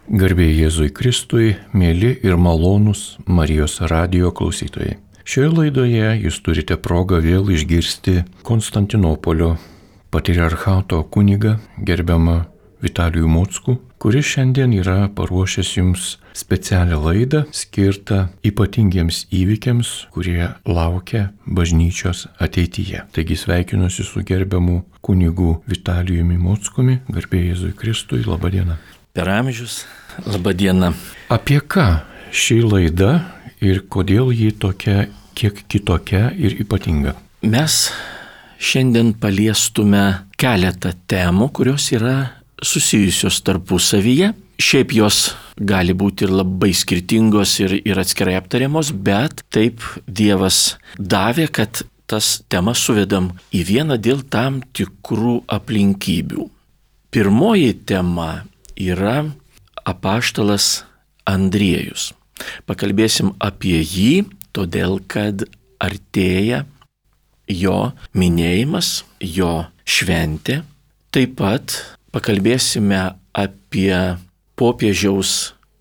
Garbė Jėzui Kristui, mėly ir malonūs Marijos radijo klausytojai. Šioje laidoje jūs turite progą vėl išgirsti Konstantinopolio patriarchato kunigą gerbiamą Vitalijų Mockų, kuris šiandien yra paruošęs jums specialią laidą skirtą ypatingiems įvykiams, kurie laukia bažnyčios ateityje. Taigi sveikinuosi su gerbiamu kunigu Vitalijumi Mockumi, garbė Jėzui Kristui, laba diena. Per amžius, laba diena. Apie ką ši laida ir kodėl ji tokia kiek kitokia ir ypatinga? Mes šiandien paliestume keletą temų, kurios yra susijusios tarpusavyje. Šiaip jos gali būti ir labai skirtingos ir atskirai aptariamos, bet taip Dievas davė, kad tas temas suvedam į vieną dėl tam tikrų aplinkybių. Pirmoji tema yra apaštalas Andriejus. Pakalbėsim apie jį, todėl kad artėja jo minėjimas, jo šventė. Taip pat pakalbėsime apie popiežiaus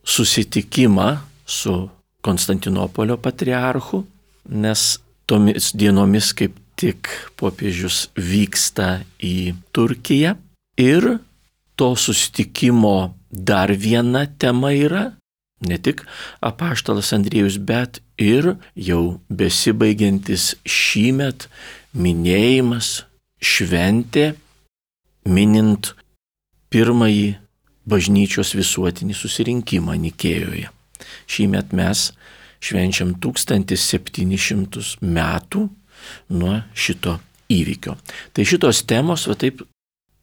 susitikimą su Konstantinopolio patriarchu, nes tomis dienomis kaip tik popiežius vyksta į Turkiją. Ir to susitikimo dar viena tema yra ne tik apaštalas Andriejus, bet ir jau besibaigiantis šįmet minėjimas, šventė, minint pirmąjį bažnyčios visuotinį susirinkimą Nikėjoje. Šįmet mes švenčiam 1700 metų nuo šito įvykio. Tai šitos temos taip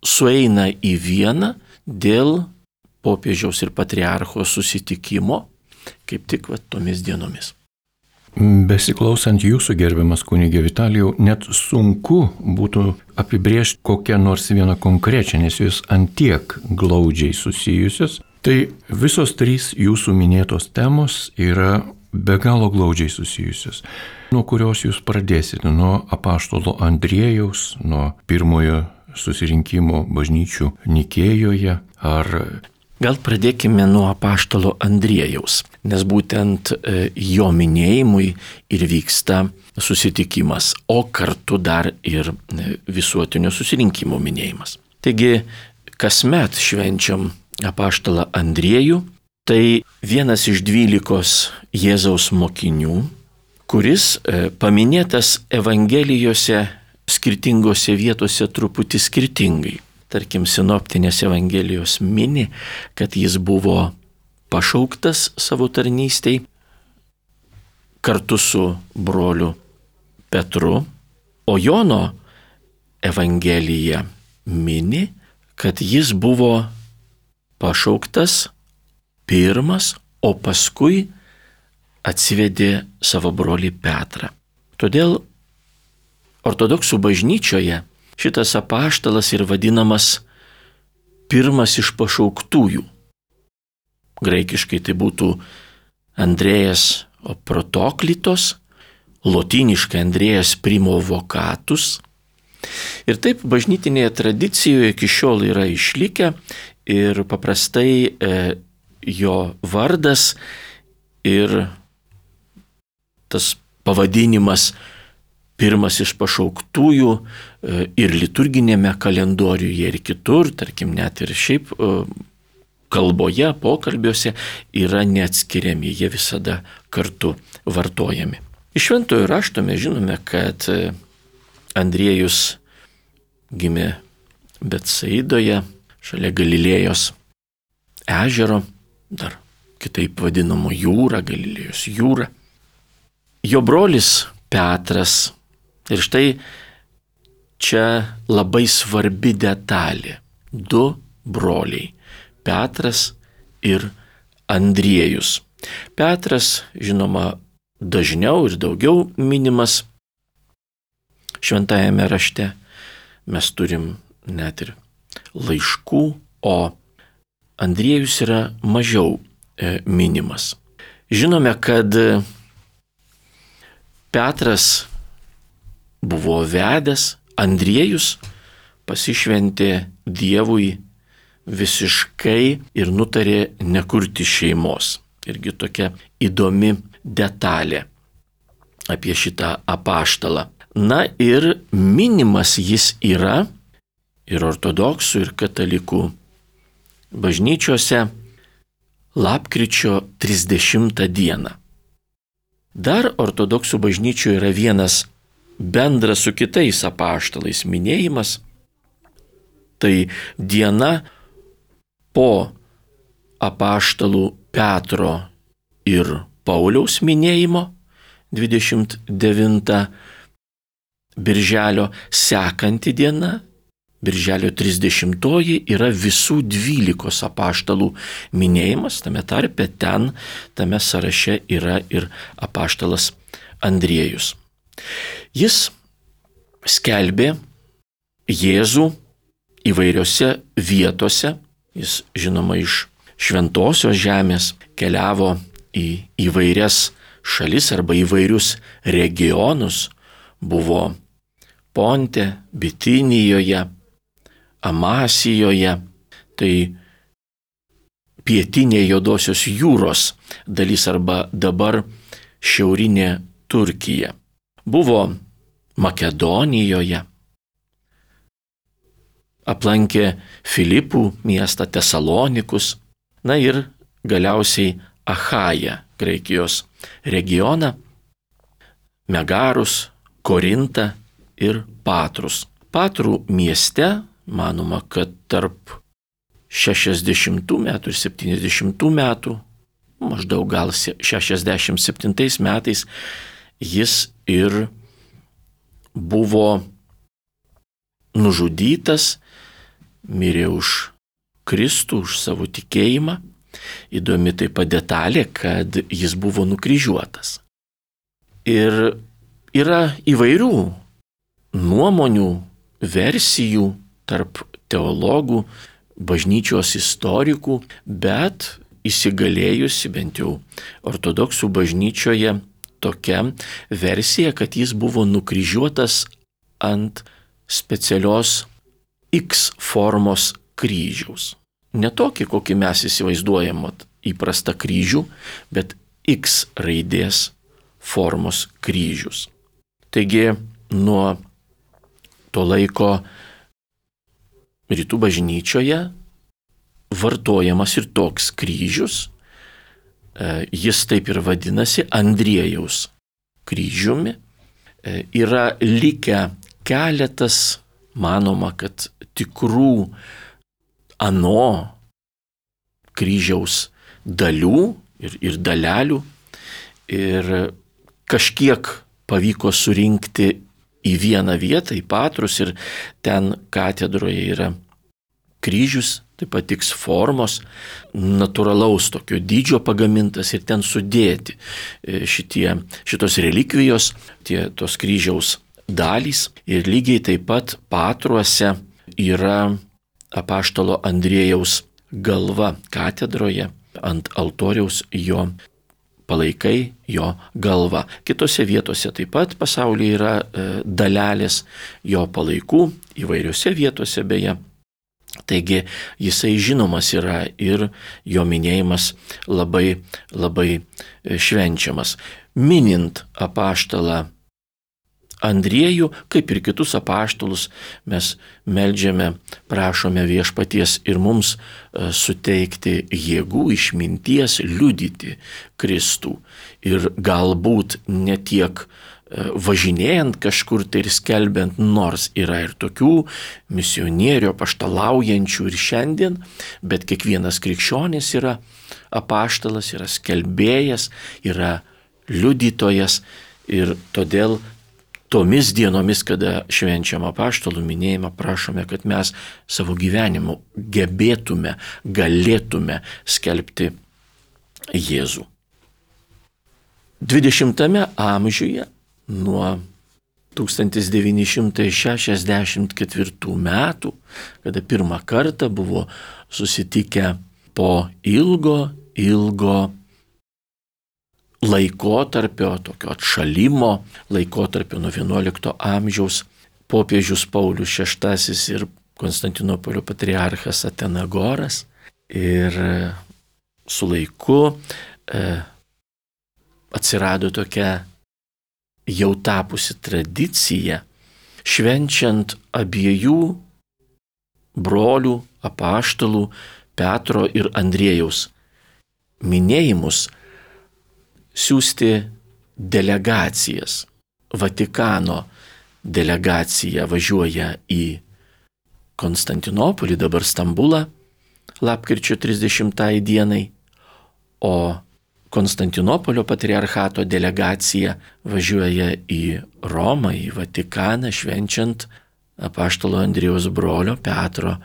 sueina į vieną dėl popiežiaus ir patriarcho susitikimo, kaip tik tomis dienomis. Besiklausant jūsų, gerbiamas kunigė Vitalijau, net sunku būtų apibrėžti kokią nors vieną konkrečią, nes jūs antiek glaudžiai susijusios. Tai visos trys jūsų minėtos temos yra be galo glaudžiai susijusios. Nuo kurios jūs pradėsite? Nuo apaštalo Andriejaus, nuo pirmojo susirinkimo bažnyčių Nikėjoje, ar... Gal pradėkime nuo apaštalo Andriejaus, nes būtent jo minėjimui ir vyksta susitikimas, o kartu dar ir visuotinio susirinkimo minėjimas. Taigi, kasmet švenčiam apaštalą Andriejų, tai vienas iš 12 Jėzaus mokinių, kuris paminėtas Evangelijose skirtingose vietose truputį skirtingai. Tarkim, sinoptinės Evangelijos mini, kad jis buvo pašauktas savo tarnystei kartu su broliu Petru, o Jono Evangelija mini, kad jis buvo pašauktas pirmas, o paskui atsivedė savo brolį Petrą. Todėl ortodoksų bažnyčioje šitas apaštalas ir vadinamas pirmas iš pašauktųjų. Graikiškai tai būtų Andrėjas Protoklitos, lotyniškai Andrėjas Primo Vocatus. Ir taip bažnytinėje tradicijoje iki šiol yra išlikę ir paprastai jo vardas ir tas pavadinimas pirmas iš pašauktųjų ir liturginėme kalendoriuje ir kitur, tarkim net ir šiaip kalboje, pokalbiuose yra neatskiriami, jie visada kartu vartojami. Iš šventojo rašto mes žinome, kad Andriejus gimė Betsaidoje, šalia Galilėjos ežero, dar kitaip vadinamo jūra, Galilėjos jūra. Jo brolis Petras. Ir štai čia labai svarbi detalė. 2 broliai – Petras ir Andriejus. Petras, žinoma, dažniau ir daugiau minimas šventajame rašte. Mes turim net ir laiškų, o Andriejus yra mažiau minimas. Žinome, kad Petras buvo vedęs, Andriejus pasišventė Dievui visiškai ir nutarė nekurti šeimos. Irgi tokia įdomi detalė apie šitą apaštalą. Na ir minimas jis yra ir ortodoksų, ir katalikų bažnyčiose lapkričio 30 dieną. Dar ortodoksų bažnyčioje yra vienas bendras su kitais apaštalais minėjimas. Tai diena po apaštalų Petro ir Pauliaus minėjimo 29 birželio, sekanti diena, birželio 30 yra visų 12 apaštalų minėjimas, tame tarpe tame sąraše yra ir apaštalas Andriejus. Jis skelbė Jėzų įvairiose vietose, jis žinoma iš šventosios žemės keliavo į įvairias šalis arba įvairius regionus, buvo Ponte, Bitinijoje, Amasijoje, tai pietinė Juodosios jūros dalis arba dabar šiaurinė Turkija. Buvo Makedonijoje, aplankė Filipų miestą, Tesalonikus, na ir galiausiai Achają, Graikijos regioną, Megarus, Korintą ir Patrus. Patrų mieste, manoma, kad tarp 60 metų ir 70 metų, maždaug gal 67 metais, jis ir buvo nužudytas, mirė už Kristų, už savo tikėjimą. Įdomi taip pat detalė, kad jis buvo nukryžiuotas. Ir yra įvairių nuomonių, versijų tarp teologų, bažnyčios istorikų, bet įsigalėjusi bent jau ortodoksų bažnyčioje tokia versija, kad jis buvo nukryžiuotas ant specialios X formos kryžiaus. Ne tokį, kokį mes įsivaizduojam įprastą kryžių, bet X raidės formos kryžius. Taigi nuo to laiko rytų bažnyčioje vartojamas ir toks kryžius. Jis taip ir vadinasi Andriejaus kryžiumi. Yra likę keletas, manoma, kad tikrų ano kryžiaus dalių ir dalelių. Ir kažkiek pavyko surinkti į vieną vietą, į Patrus, ir ten katedroje yra kryžius, taip pat X formos, natūralaus tokio dydžio pagamintas ir ten sudėti šitos relikvijos, tos kryžiaus dalys. Ir lygiai taip pat Patruose yra apaštalo Andriejaus galva katedroje, ant altoriaus jo palaikai, jo galva. Kitose vietose taip pat pasaulyje yra dalelės jo palaikų, įvairiose vietose beje. Taigi jisai žinomas yra ir jo minėjimas labai, labai švenčiamas. Minint apaštalą Andriejų, kaip ir kitus apaštalus, mes meldžiame, prašome Viešpaties ir mums suteikti jėgų, išminties liudyti Kristų. Ir galbūt ne tiek važinėjant kažkur tai ir skelbiant, nors yra ir tokių misionierių, apaštalaujančių ir šiandien, bet kiekvienas krikščionis yra apaštalas, yra skelbėjas, yra liudytojas, ir todėl tomis dienomis, kada švenčiam apaštalų minėjimą, prašome, kad mes savo gyvenimu gebėtume, galėtume skelbti Jėzų. 20 amžiuje, nuo 1964 metų, kada pirmą kartą buvo susitikę po ilgo laikotarpio, tokio atšalimo laikotarpio nuo XI amžiaus, popiežius Paulius VI ir Konstantinopolio patriarchas Atenagoras ir su laiku atsirado tokia jau tapusi tradicija, švenčiant abiejų brolių apaštalų Petro ir Andriejaus minėjimus, siųsti delegacijas. Vatikano delegacija važiuoja į Konstantinopolį, dabar Stambulą, lapkričio 30 dienai, o Konstantinopolio patriarchato delegacija važiuoja į Romą, į Vatikaną, švenčiant apaštalo Andriejaus brolio Petro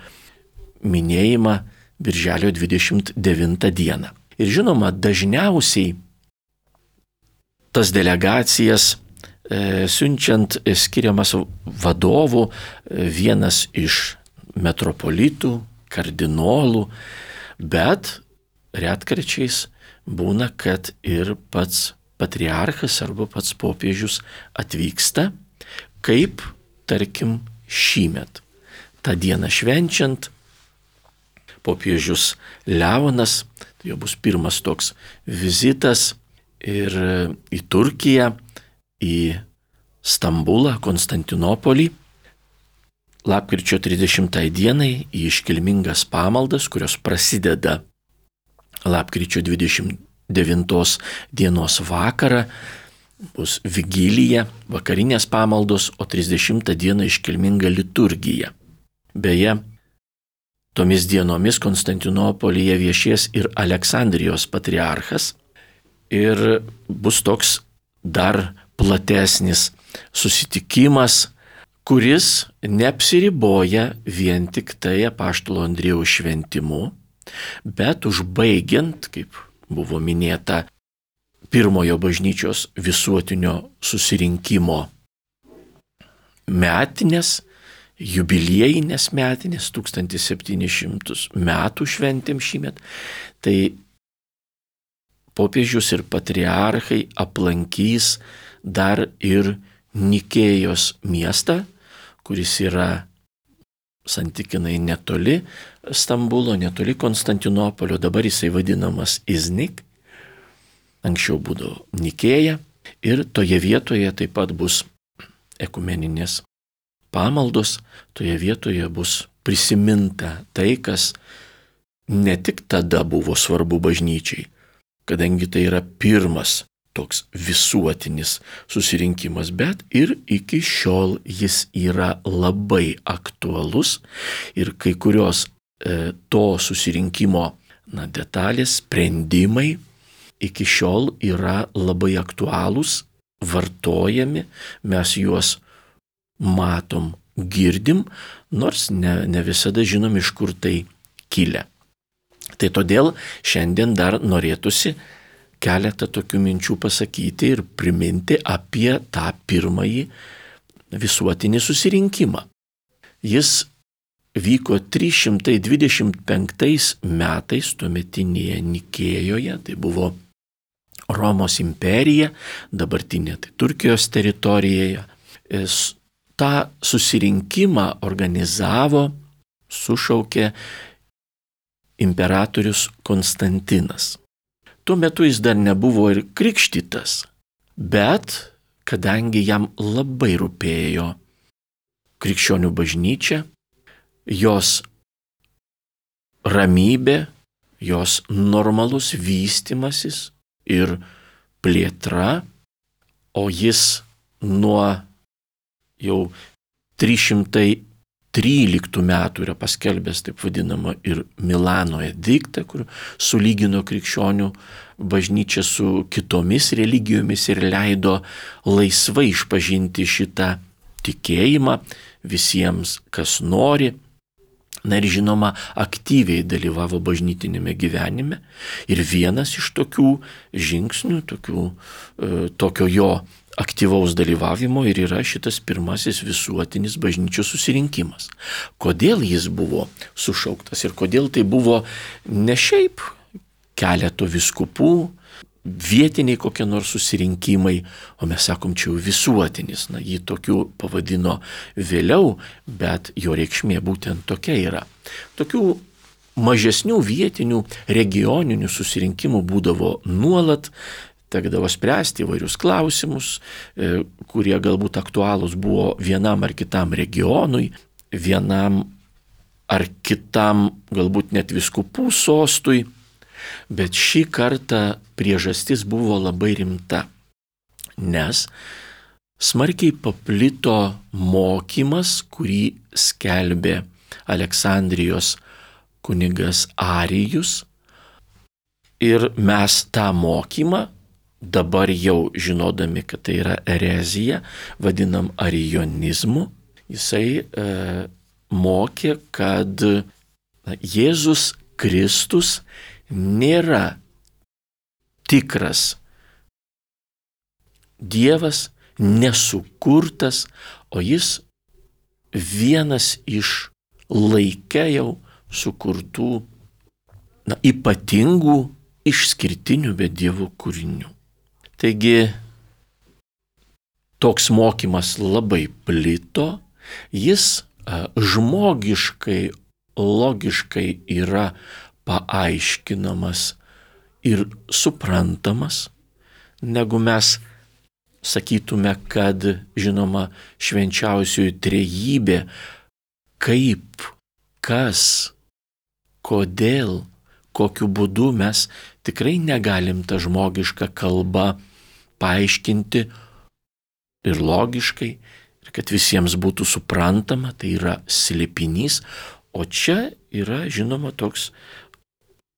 minėjimą birželio 29 dieną. Ir žinoma, dažniausiai tas delegacijas siunčiant skiriamas vadovų, vienas iš metropolitų, kardinolų, bet retkarčiais būna, kad ir pats patriarchas arba pats popiežius atvyksta, kaip, tarkim, šįmet. Ta diena švenčiant, popiežius Leonas, tai jau bus pirmas toks vizitas ir į Turkiją, į Stambulą, Konstantinopolį, lapkričio 30 dienai į iškilmingas pamaldas, kurios prasideda lapkričio 29 dienos vakarą, bus vigilija, vakarinės pamaldos, o 30 dieną iškilminga liturgija. Beje, tomis dienomis Konstantinopolyje viešės ir Aleksandrijos patriarchas ir bus toks dar platesnis susitikimas, kuris neapsiriboja vien tik tai apaštalo Andriejaus šventimu, bet užbaigiant, kaip buvo minėta, pirmojo bažnyčios visuotinio susirinkimo metinės, jubiliejinės metinės, 1700 metų šventėm šįmet, tai popiežius ir patriarchai aplankys dar ir Nikėjos miestą, kuris yra santykinai netoli Stambulo, netoli Konstantinopolio, dabar jisai vadinamas Iznik, anksčiau būdavo Nikėja, ir toje vietoje taip pat bus ekumeninės pamaldos, toje vietoje bus prisiminta tai, kas ne tik tada buvo svarbu bažnyčiai, kadangi tai yra pirmas toks visuotinis susirinkimas, bet ir iki šiol jis yra labai aktualus ir kai kurios to susirinkimo detalės, sprendimai iki šiol yra labai aktualūs, vartojami, mes juos matom, girdim, nors ne visada žinom, iš kur tai kilę. Tai todėl šiandien dar norėtųsi keletą tokių minčių pasakyti ir priminti apie tą pirmąjį visuotinį susirinkimą. Jis vyko 325 metais tuometinėje Nikėjoje, tai buvo Romos imperija, dabartinė tai Turkijos teritorijoje. Ta susirinkimą organizavo, sušaukė imperatorius Konstantinas. Tuo metu jis dar nebuvo ir krikštytas, bet kadangi jam labai rūpėjo krikščionių bažnyčia, jos ramybė, jos normalus vystimasis ir plėtra, o jis nuo jau 313 metų yra paskelbęs taip vadinamą ir Milano ediktą, kur sulygino krikščionių bažnyčią su kitomis religijomis ir leido laisvai išpažinti šitą tikėjimą visiems, kas nori. Na ir žinoma, aktyviai dalyvavo bažnytinėme gyvenime. Ir vienas iš tokių žingsnių, tokio jo aktyvaus dalyvavimo ir yra šitas pirmasis visuotinis bažnyčios susirinkimas. Kodėl jis buvo sušauktas ir kodėl tai buvo ne šiaip keleto vyskupų, vietiniai kokie nors susirinkimai, o mes sakom, čia jau visuotinis. Na, jį tokiu pavadino vėliau, bet jo reikšmė būtent tokia yra. Tokių mažesnių vietinių regioninių susirinkimų būdavo nuolat, tekdavo spręsti įvairius klausimus, kurie galbūt aktualūs buvo vienam ar kitam regionui, vienam ar kitam galbūt net vyskupų sostui, bet šį kartą priežastis buvo labai rimta, nes smarkiai paplito mokymas, kurį skelbė Aleksandrijos kunigas Arijus, ir mes tą mokymą, dabar jau žinodami, kad tai yra erezija, vadinam arijonizmu. Jisai mokė, kad Jėzus Kristus nėra tikras Dievas, nesukurtas, o jis vienas iš laike jau sukurtų ypatingų, išskirtinių be Dievo kūrinių. Taigi toks mokymas labai plito, jis žmogiškai, logiškai yra paaiškinamas ir suprantamas, negu mes sakytume, kad, žinoma, švenčiausioji trejybė, kaip, kas, kodėl, kokiu būdu mes tikrai negalim tą žmogišką kalbą paaiškinti ir logiškai, ir kad visiems būtų suprantama, tai yra slėpinys, o čia yra, žinoma, toks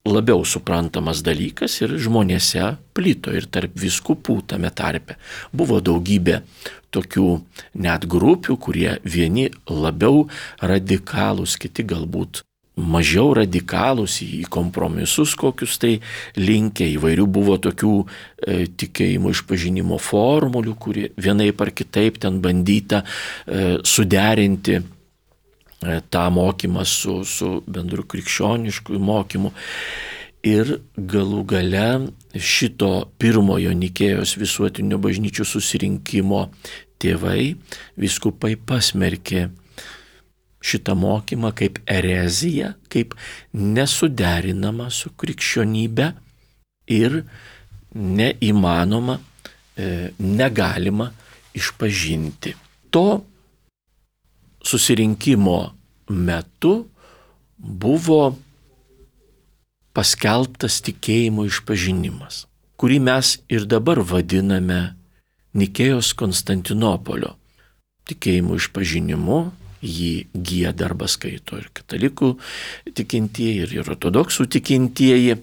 labiau suprantamas dalykas ir žmonėse plito ir tarp vyskupų tame tarpe. Buvo daugybė tokių net grupių, kurie vieni labiau radikalūs, kiti galbūt mažiau radikalūs, į kompromisus kokius tai linkę, įvairių buvo tokių tikėjimo išpažinimo formulių, kurie vienaip ar kitaip ten bandyta suderinti tą mokymą su bendru krikščionišku mokymu. Ir galų gale šito pirmojo Nikėjos visuotinio bažnyčių susirinkimo tėvai, vyskupai pasmerkė šitą mokymą kaip ereziją, kaip nesuderinama su krikščionybe ir neįmanoma, negalima išpažinti. To susirinkimo metu buvo paskelbtas tikėjimo išpažinimas, kurį mes ir dabar vadiname Nikėjos Konstantinopolio tikėjimo išpažinimu. Jį gieda arba skaito ir katalikų tikintieji, ir ortodoksų tikintieji.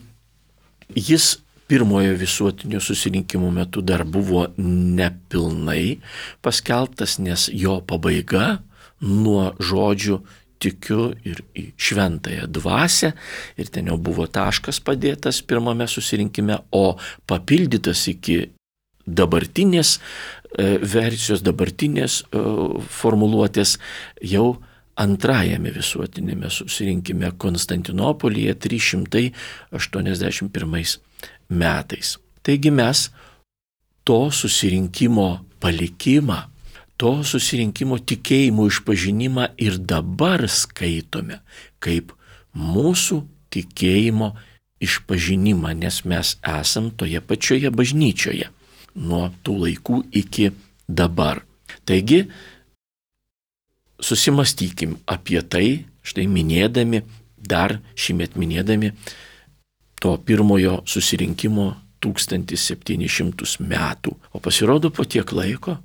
Jis pirmojo visuotinio susirinkimo metu dar buvo nepilnai paskelbtas, nes jo pabaiga nuo žodžių tikiu ir į šventąją dvasią, ir ten jau buvo taškas padėtas pirmame susirinkime, o papildytas iki dabartinės versijos, dabartinės formuluotės jau antrajame visuotinėme susirinkime Konstantinopolyje 381 metais. Taigi mes to susirinkimo palikimą, to susirinkimo tikėjimo išpažinimą ir dabar skaitome kaip mūsų tikėjimo išpažinimą, nes mes esam toje pačioje bažnyčioje nuo tų laikų iki dabar. Taigi, susimastykim apie tai, štai minėdami, dar šįmet minėdami to pirmojo susirinkimo 1700 metų. O pasirodo, po tiek laiko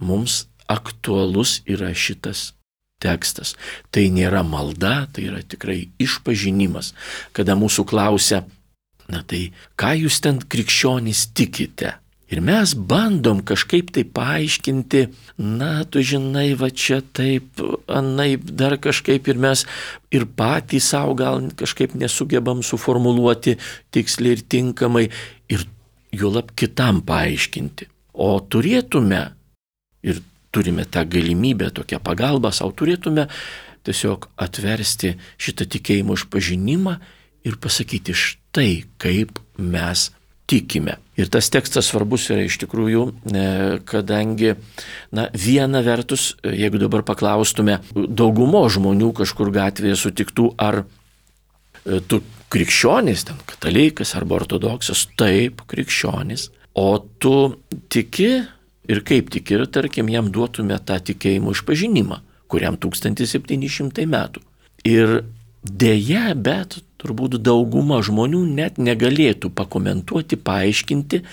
mums aktualus yra šitas tekstas. Tai nėra malda, tai yra tikrai išpažinimas. Kada mūsų klausia, na tai ką jūs ten krikščionys tikite? Ir mes bandom kažkaip tai paaiškinti, na, tu žinai, va čia taip, anaip, dar kažkaip ir mes ir patys savo gal kažkaip nesugebam suformuluoti tiksliai ir tinkamai ir juolab kitam paaiškinti. O turėtume, ir turime tą galimybę, tokią pagalbą savo, turėtume tiesiog atversti šitą tikėjimo išpažinimą ir pasakyti štai, kaip mes tikime. Ir tas tekstas svarbus yra iš tikrųjų, kadangi, viena vertus, jeigu dabar paklaustume daugumo žmonių kažkur gatvėje sutiktų, ar tu krikščionis, ten katalikas arba ortodoksas, taip, krikščionis, o tu tiki ir kaip tiki, ir tarkim jam duotume tą tikėjimo išpažinimą, kuriam 1700 metų. Ir deja, bet turbūt dauguma žmonių net negalėtų pakomentuoti, paaiškinti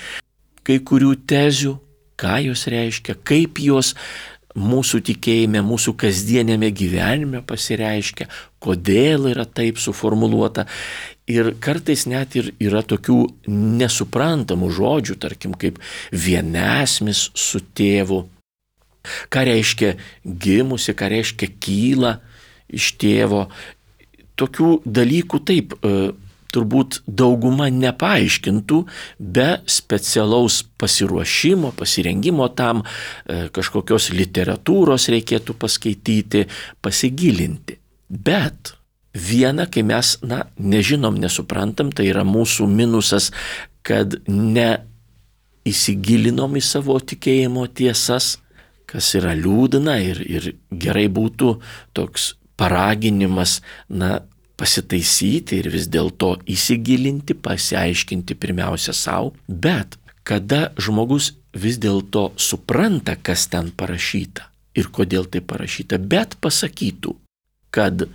kai kurių tezių, ką jos reiškia, kaip jos mūsų tikėjime, mūsų kasdienėme gyvenime pasireiškia, kodėl yra taip suformuluota. Ir kartais net ir yra tokių nesuprantamų žodžių, tarkim, kaip vienasmis su tėvu. Ką reiškia gimusi, ką reiškia kyla iš tėvo. Tokių dalykų taip turbūt dauguma nepaaiškintų be specialaus pasiruošimo, pasirengimo tam, kažkokios literatūros reikėtų paskaityti, pasigilinti. Bet viena, kai mes, nežinom, nesuprantam, tai yra mūsų minusas, kad neįsigilinom į savo tikėjimo tiesas, kas yra liūdna ir gerai būtų toks paraginimas, pasitaisyti ir vis dėlto įsigilinti, pasiaiškinti pirmiausia savo. Bet kada žmogus vis dėlto supranta, kas ten parašyta ir kodėl tai parašyta, bet pasakytų, kad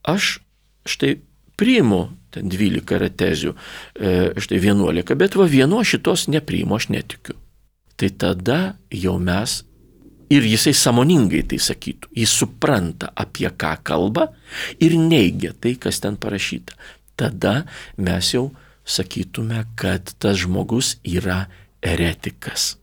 aš štai priimu ten 12 yra tezių, štai 11, bet vieno šitos nepriimu, aš netikiu. Tai tada jau mes ir jisai sąmoningai tai sakytų. Jis supranta, apie ką kalba ir neigia tai, kas ten parašyta. Tada mes jau sakytume, kad tas žmogus yra eretikas.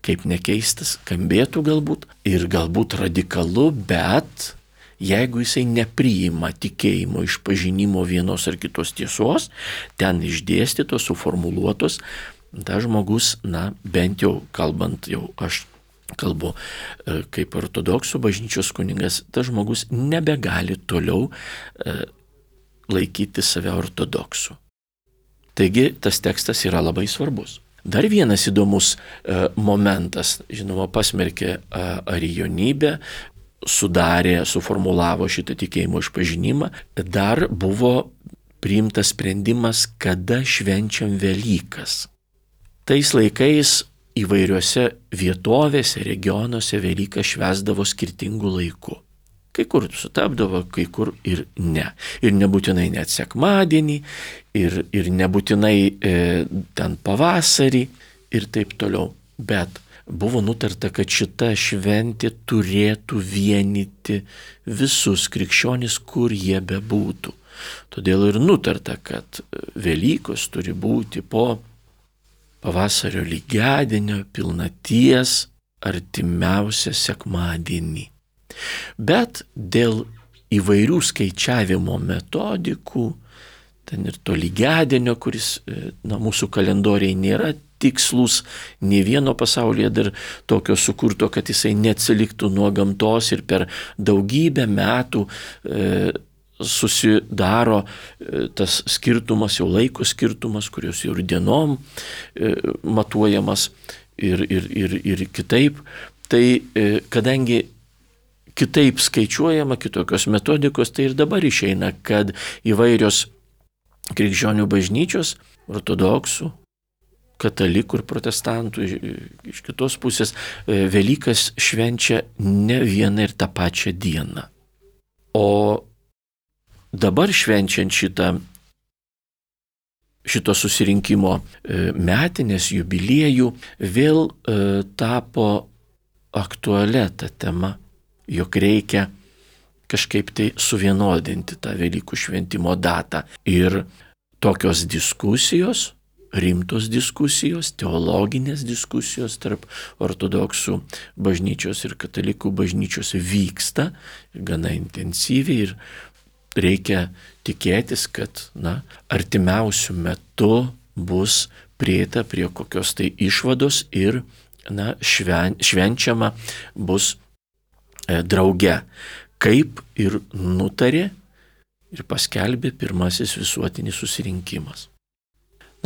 Kaip nekeistas skambėtų galbūt ir galbūt radikalu, bet jeigu jisai nepriima tikėjimo išpažinimo vienos ar kitos tiesos, ten išdėstytos, suformuluotos, tas žmogus, bent jau kalbant, jau aš kalbu kaip ortodoksų bažnyčios kunigas, tas žmogus nebegali toliau laikyti save ortodoksu. Taigi tas tekstas yra labai svarbus. Dar vienas įdomus momentas, žinoma, pasmerkė arijonybę, suformulavo šitą tikėjimo išpažinimą, dar buvo priimtas sprendimas, kada švenčiam Velykas. Tais laikais įvairiuose vietovėse, regionuose Velyką švęsdavo skirtingų laikų. Kai kur sutapdavo, kai kur ir ne. Ir nebūtinai net sekmadienį, ir nebūtinai ten pavasarį ir taip toliau. Bet buvo nutarta, kad šita šventė turėtų vienyti visus krikščionis, kur jie bebūtų. Todėl ir nutarta, kad Velykos turi būti po pavasario lygiadienio pilnaties artimiausią sekmadienį. Bet dėl įvairių skaičiavimo metodikų, ten ir to lygiadienio, kuris mūsų kalendoriai nėra tikslus, nė vieno pasaulyje dar tokio sukurto, kad jisai neatsiliktų nuo gamtos ir per daugybę metų susidaro tas skirtumas, jau laiko skirtumas, kurios jau ir dienom matuojamas ir kitaip. Tai kadangi kitaip skaičiuojama, kitokios metodikos, tai ir dabar išeina, kad įvairios krikščionių bažnyčios, ortodoksų, katalikų ir protestantų, iš kitos pusės, Velykas švenčia ne vieną ir tą pačią dieną. O dabar švenčiant šito susirinkimo metinės jubiliejų vėl tapo aktualia ta tema, jog reikia kažkaip tai suvienodinti tą Velykų šventimo datą. Ir tokios diskusijos, rimtos diskusijos, teologinės diskusijos tarp ortodoksų bažnyčios ir katalikų bažnyčios vyksta gana intensyviai ir reikia tikėtis, kad artimiausiu metu bus prieita prie kokios tai išvados ir švenčiama bus drauge, kaip ir nutarė ir paskelbė pirmasis visuotinis susirinkimas.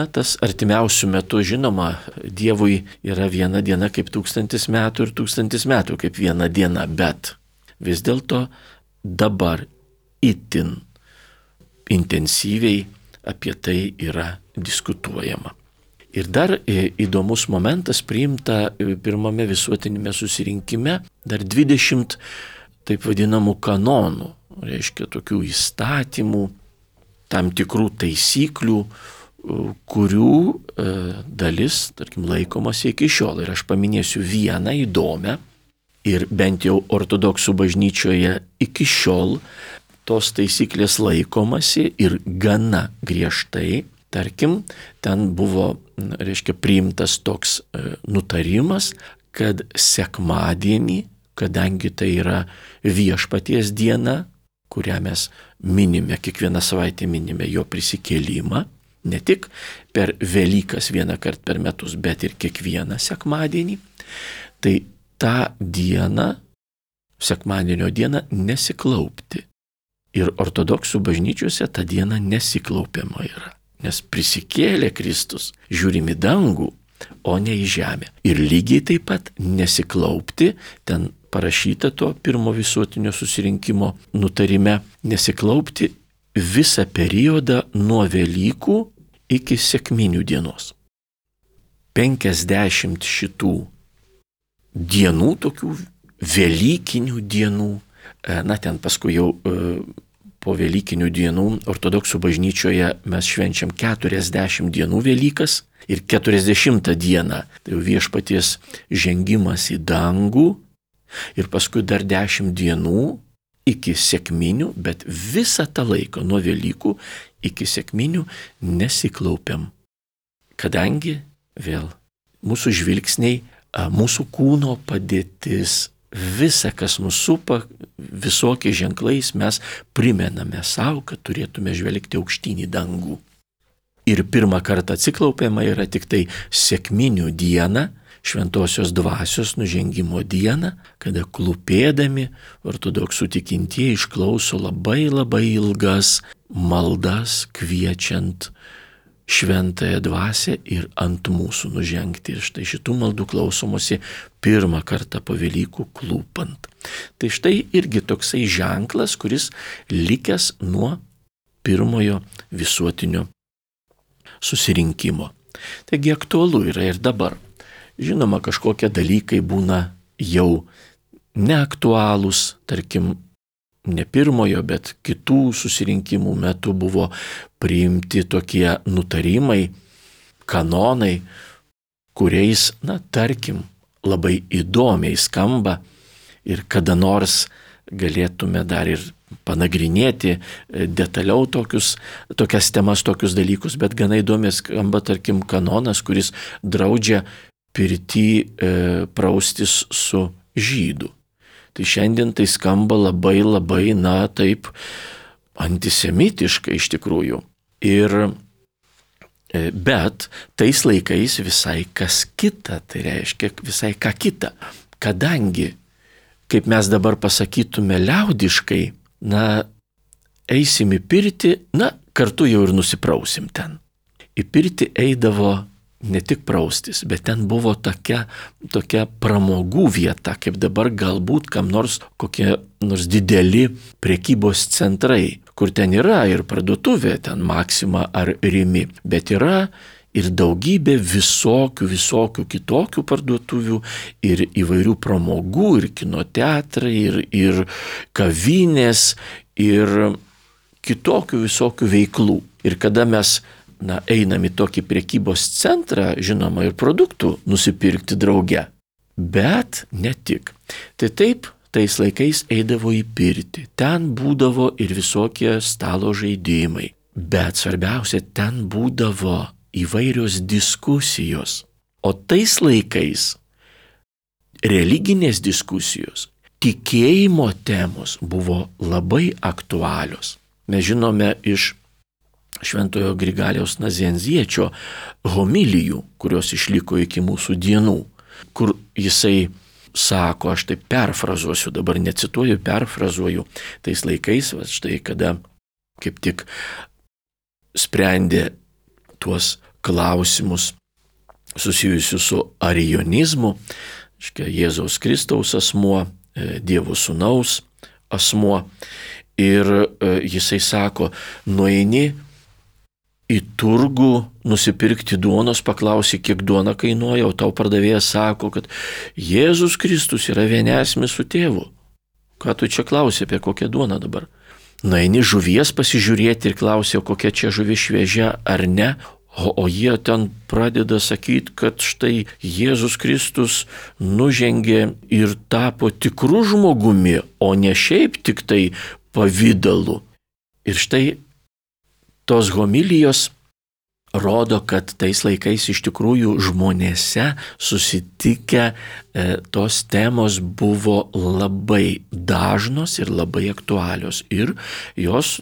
tas artimiausių metų, žinoma, Dievui yra viena diena kaip 1000 metų ir 1000 metų kaip viena diena, bet vis dėlto dabar itin intensyviai apie tai yra diskutuojama. Ir dar įdomus momentas, priimta pirmame visuotinėme susirinkime dar 20 taip vadinamų kanonų, reiškia tokių įstatymų, tam tikrų taisyklių, kurių dalis, tarkim, laikomasi iki šiol. Ir aš paminėsiu vieną įdomią ir bent jau ortodoksų bažnyčioje iki šiol tos taisyklės laikomasi ir gana griežtai. Tarkim, ten buvo, reiškia, priimtas toks nutarimas, kad sekmadienį, kadangi tai yra viešpaties diena, kurią mes minime, kiekvieną savaitę minime jo prisikėlimą, ne tik per Velykas vieną kartą per metus, bet ir kiekvieną sekmadienį, tai tą dieną, sekmadienio dieną, nesiklaupti. Ir ortodoksų bažnyčiose tą dieną nesiklaupiama yra, nes prisikėlė Kristus, žiūrim į dangų, o ne į žemę. Ir lygiai taip pat nesiklaupti, ten parašyta to pirmo visuotinio susirinkimo nutarime, nesiklaupti visą periodą nuo Velykų iki sekminių dienos. 50 šitų dienų, tokių velykinių dienų, ten paskui jau po velykinių dienų ortodoksų bažnyčioje mes švenčiam 40 dienų Velykas ir 40 dieną, tai jau viešpaties žengimas į dangų ir paskui dar 10 dienų iki sekminių, bet visą tą laiką nuo Velykų iki sekminių nesiklaupiam. Kadangi vėl mūsų žvilgsniai, mūsų kūno padėtis, visa, kas mus supa, visokiais ženklais mes primename savo, kad turėtume žvelgti aukštyn į dangų. Ir pirmą kartą atsiklaupiama yra tik tai sekminių dieną, šventosios dvasios nužengimo dieną, kada klūpėdami ortodoksų tikintieji išklauso labai ilgas maldas, kviečiant šventąją dvasią ir ant mūsų nužengti. Ir štai šitų maldų klausomosi pirmą kartą po Velykų klūpant. Tai štai irgi toksai ženklas, kuris likęs nuo pirmojo visuotinio susirinkimo. Taigi aktualu yra ir dabar. Žinoma, kažkokie dalykai būna jau neaktualūs, tarkim, ne pirmojo, bet kitų susirinkimų metu buvo priimti tokie nutarimai, kanonai, kuriais, tarkim, labai įdomiai skamba ir kada nors galėtume dar ir panagrinėti detaliau tokias temas, tokius dalykus, bet gana įdomiai skamba, tarkim, kanonas, kuris draudžia pirty praustis su žydu. Tai šiandien tai skamba labai, taip antisemitiškai iš tikrųjų. Bet tais laikais visai kas kita, tai reiškia visai ką kita. Kadangi, kaip mes dabar pasakytume liaudiškai, eisim į pirtį, kartu jau ir nusiprausim ten. Į pirtį eidavo ne tik praustis, bet ten buvo tokia pramogų vieta, kaip dabar galbūt kam nors kokie nors dideli prekybos centrai, kur ten yra ir parduotuvė, ten Maxima ar Rimi, bet yra ir daugybė visokių kitokių parduotuvių ir įvairių pramogų, ir kinoteatrai, ir kavinės, ir kitokių visokių veiklų. Ir kada mes einam į tokį prekybos centrą, žinoma, ir produktų nusipirkti drauge. Bet ne tik. Tai taip, tais laikais eidavo į pirtį. Ten būdavo ir visokie stalo žaidimai. Bet svarbiausia, ten būdavo įvairios diskusijos. O tais laikais religinės diskusijos, tikėjimo temos buvo labai aktualios. Mes žinome iš Šventojo Grigaliaus Nazianziečio homilijų, kurios išliko iki mūsų dienų, kur jisai sako, aš taip perfrazuosiu, dabar necituoju, perfrazuoju, tais laikais, štai kada kaip tik sprendė tuos klausimus susijusius su arijonizmu, Jėzaus Kristaus asmuo, Dievo Sūnaus asmuo. Ir jisai sako, nueini į turgų nusipirkti duonos, paklausi, kiek duona kainuoja, o tau pardavėjas sako, kad Jėzus Kristus yra vienesmis su tėvu. Ką tu čia klausi, apie kokią duoną dabar? Nueini žuvies pasižiūrėti ir klausi, kokia čia žuvis šviežia ar ne, o jie ten pradeda sakyti, kad štai Jėzus Kristus nužengė ir tapo tikru žmogumi, o ne šiaip tik tai pavidalu. Ir štai tos homilijos rodo, kad tais laikais iš tikrųjų žmonėse susitikę tos temos buvo labai dažnos ir labai aktualios. Ir jos,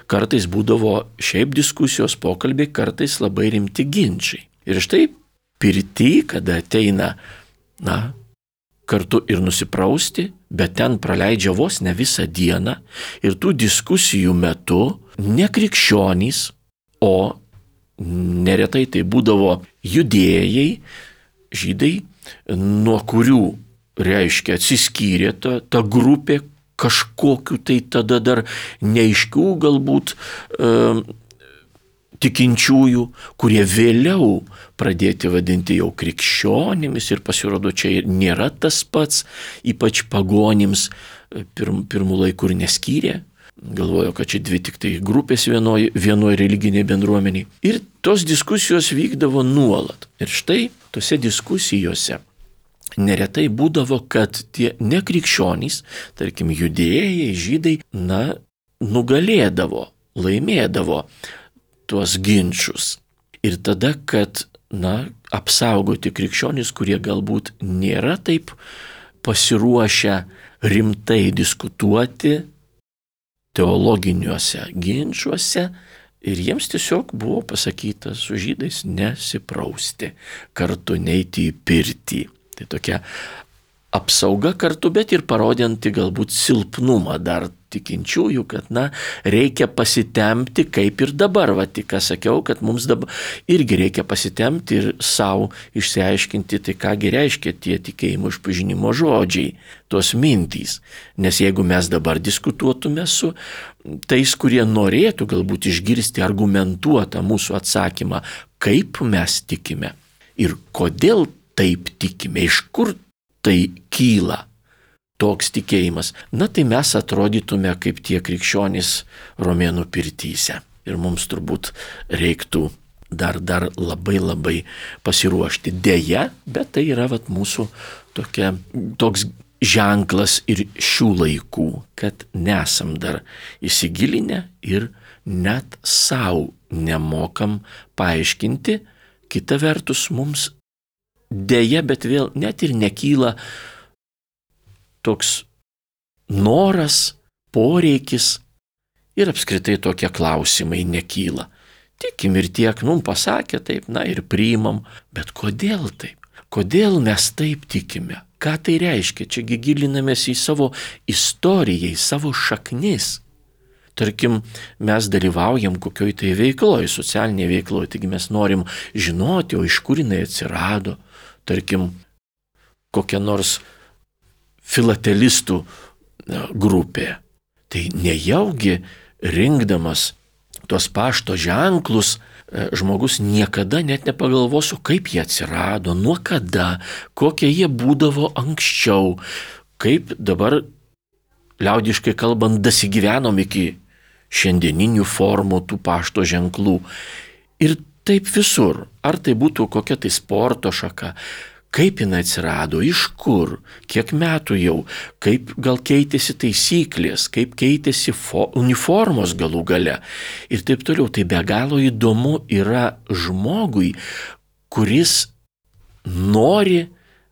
kartais būdavo šiaip diskusijos, pokalbiai, kartais labai rimti ginčiai. Ir štai pirty, kada ateina, kartu ir nusiprausti, bet ten praleidžia vos ne visą dieną. Ir tų diskusijų metu ne krikščionys, o neretai tai būdavo judėjai, žydai, nuo kurių, reiškia, atsiskyrė ta grupė kažkokiu tai tada dar neaiškių galbūt tikinčiųjų, kurie vėliau pradėti vadinti jau krikščionimis ir pasirodo čia nėra tas pats, ypač pagonims pirmų laikų ir neskyrė. Galvojo, kad čia dvi tik tai grupės vienoj religiniai bendruomeniai. Ir tos diskusijos vykdavo nuolat. Ir štai tose diskusijose neretai būdavo, kad tie nekrikščionys, tarkim judėjai, žydai, nugalėdavo, laimėdavo tuos ginčius. Ir tada, kad, apsaugoti krikščionys, kurie galbūt nėra taip pasiruošę rimtai diskutuoti teologiniuose ginčiuose, ir jiems tiesiog buvo pasakyta su žydais nesiprausti, kartu neiti į pirtį. Tai tokia apsauga kartu, bet ir parodinti galbūt silpnumą dar tikinčiųjų, kad reikia pasitempti, kaip ir dabar, tik ką sakiau, kad mums dabar irgi reikia pasitempti ir savo išsiaiškinti, tai kągi reiškia tie tikėjimo išpažinimo žodžiai, tos mintys. Nes jeigu mes dabar diskutuotume su tais, kurie norėtų galbūt išgirsti argumentuotą mūsų atsakymą, kaip mes tikime ir kodėl taip tikime, iš kur tai kyla toks tikėjimas, tai mes atrodytume kaip tie krikščionys romėnų pirtyse. Ir mums turbūt reiktų dar labai labai pasiruošti. Deja, bet tai yra mūsų toks ženklas ir šių laikų, kad nesam dar įsigilinę ir net savo nemokam paaiškinti. Kita vertus mums deja, bet vėl net ir nekyla toks noras, poreikis ir apskritai tokie klausimai nekyla. Tikim ir tiek, mums pasakė taip, ir priimam, bet kodėl taip? Kodėl mes taip tikime? Ką tai reiškia? Čiagi gilinamės į savo istoriją, į savo šaknis. Tarkim, mes dalyvaujam kokioj tai veikloje, socialinėje veikloje, taigi mes norim žinoti, o iš kur jinai atsirado. Tarkim, kokia nors filatelistų grupė. Tai nejaugi rinkdamas tuos pašto ženklus, žmogus niekada net nepagalvosiu, kaip jie atsirado, nuo kada, kokie jie būdavo anksčiau, kaip dabar, liaudiškai kalbant, dasigyvenom iki šiandieninių formų tų pašto ženklų. Ir taip visur, ar tai būtų kokia tai sporto šaka, kaip jinai atsirado, iš kur, kiek metų jau, kaip gal keitėsi taisyklės, kaip keitėsi uniformos galų gale ir taip toliau. Tai be galo įdomu yra žmogui, kuris nori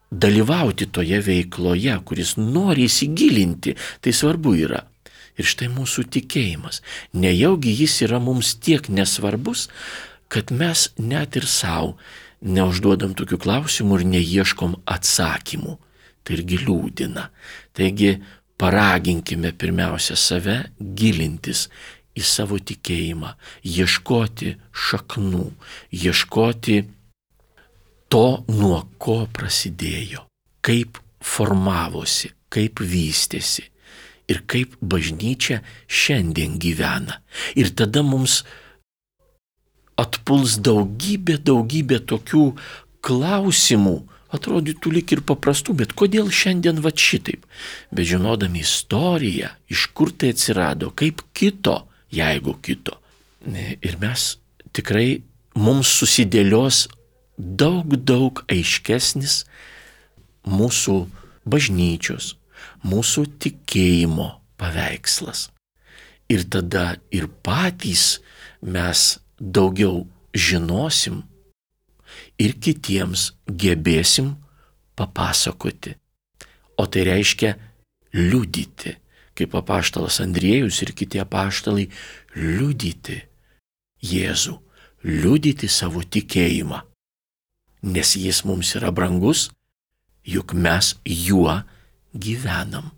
dalyvauti toje veikloje, kuris nori įsigilinti, tai svarbu yra. Ir štai mūsų tikėjimas. Nejaugi jis yra mums tiek nesvarbus, kad mes net ir savo neužduodam tokių klausimų ir neieškom atsakymų. Tai irgi liūdina. Taigi paraginkime pirmiausia save gilintis į savo tikėjimą, ieškoti šaknų, ieškoti to, nuo ko prasidėjo, kaip formavosi, kaip vystėsi ir kaip bažnyčia šiandien gyvena. Ir tada mums atpuls daugybė tokių klausimų, atrodytų lyg ir paprastų, bet kodėl šiandien va šitaip? Bet žinodami istoriją, iš kur tai atsirado, kaip kito, jeigu kito. Ir mes tikrai, mums susidėlios daug aiškesnis mūsų bažnyčios, mūsų tikėjimo paveikslas. Ir tada ir patys mes daugiau žinosim ir kitiems gebėsim papasakoti. O tai reiškia liudyti, kaip apaštalas Andriejus ir kiti apaštalai, liudyti Jėzų, liudyti savo tikėjimą. Nes jis mums yra brangus, juk mes juo gyvenam.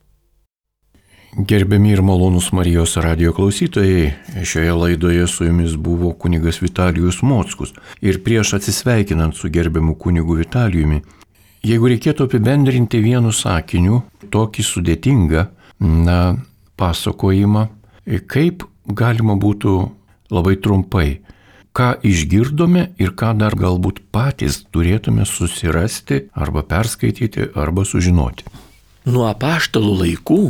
Gerbiami ir malonūs Marijos radijo klausytojai, šioje laidoje su jumis buvo kunigas Vitalijus Mockus. Ir prieš atsisveikinant su gerbiamu kunigu Vitalijumi, jeigu reikėtų apibendrinti vienu sakiniu tokį sudėtingą pasakojimą, kaip galima būtų labai trumpai, ką išgirdome ir ką dar galbūt patys turėtume susirasti arba perskaityti arba sužinoti. Nuo apaštalų laikų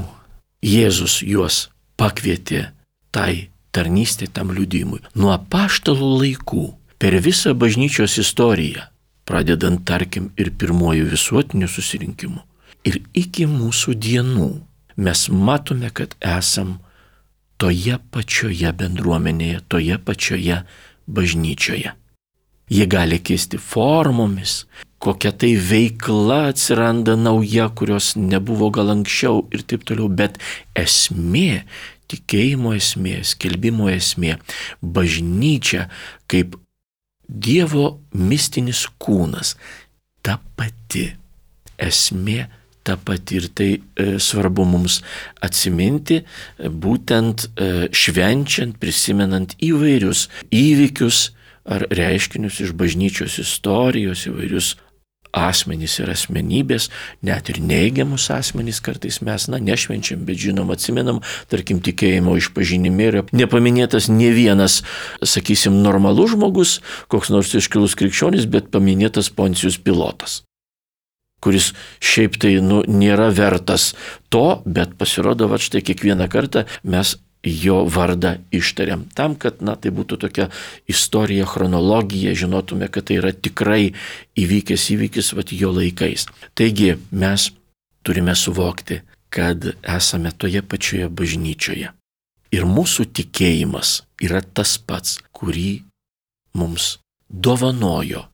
Jėzus juos pakvietė tai tarnystė, tam liudijimui. Nuo apaštalų laikų per visą bažnyčios istoriją, pradedant tarkim ir pirmojų visuotinių susirinkimų ir iki mūsų dienų, mes matome, kad esam toje pačioje bendruomenėje, toje pačioje bažnyčioje. Jie gali keisti formomis, kokia tai veikla atsiranda nauja, kurios nebuvo gal anksčiau ir taip toliau, bet esmė, tikėjimo esmė, skelbimo esmė, bažnyčia kaip Dievo mistinis kūnas, ta pati esmė, ta pati. Ir tai svarbu mums atsiminti, būtent švenčiant, prisimenant įvairius įvykius ar reiškinius iš bažnyčios istorijos, įvairius asmenys ir asmenybės, net ir neigiamus asmenys kartais mes, nešvenčiam, bet žinom, atsimenam, tarkim, tikėjimo išpažinime yra nepaminėtas ne vienas, sakysim, normalus žmogus, koks nors iškilus krikščionis, bet paminėtas Poncijus Pilotas, kuris šiaip tai, nėra vertas to, bet pasirodo, va štai kiekvieną kartą mes jo vardą ištariam. Tam, kad, tai būtų tokia istorija, chronologija, žinotume, kad tai yra tikrai įvykęs įvykis, jo laikais. Taigi mes turime suvokti, kad esame toje pačioje bažnyčioje. Ir mūsų tikėjimas yra tas pats, kurį mums dovanojo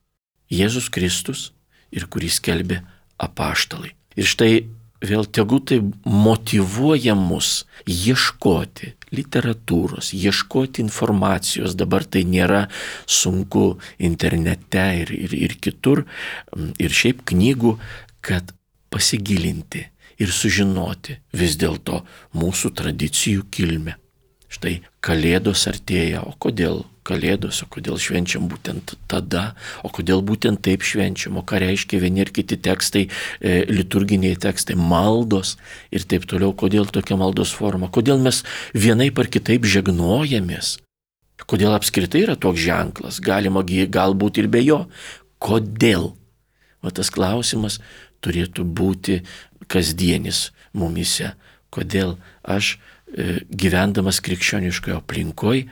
Jėzus Kristus ir kurį skelbė apaštalai. Ir štai vėl tegu tai motyvuoja mus ieškoti literatūros, ieškoti informacijos. Dabar tai nėra sunku internete ir kitur, ir šiaip knygų, kad pasigilinti ir sužinoti vis dėlto mūsų tradicijų kilmę. Štai Kalėdos artėja, o kodėl Kalėdos, o kodėl švenčiam būtent tada, o kodėl būtent taip švenčiam, o ką reiškia vieni ir kiti tekstai, liturginiai tekstai, maldos ir taip toliau, kodėl tokia maldos forma, kodėl mes vienaip ar kitaip žegnojamės, kodėl apskritai yra toks ženklas, galima galbūt ir be jo, kodėl. Tas klausimas turėtų būti kasdienis mumise, kodėl aš gyvendamas krikščioniškoje aplinkoje,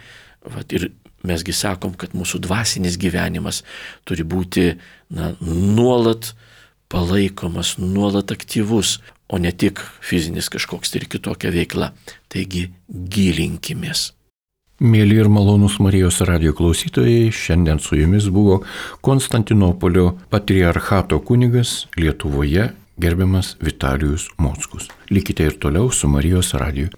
ir mesgi sakom, kad mūsų dvasinis gyvenimas turi būti nuolat palaikomas, nuolat aktyvus, o ne tik fizinis kažkoks ir kitokia veikla. Taigi gilinkimės. Mėly ir malonūs Marijos radijo klausytojai, šiandien su jumis buvo Konstantinopolio patriarchato kunigas Lietuvoje, gerbiamas Vitalijus Mockus. Likite ir toliau su Marijos radiju.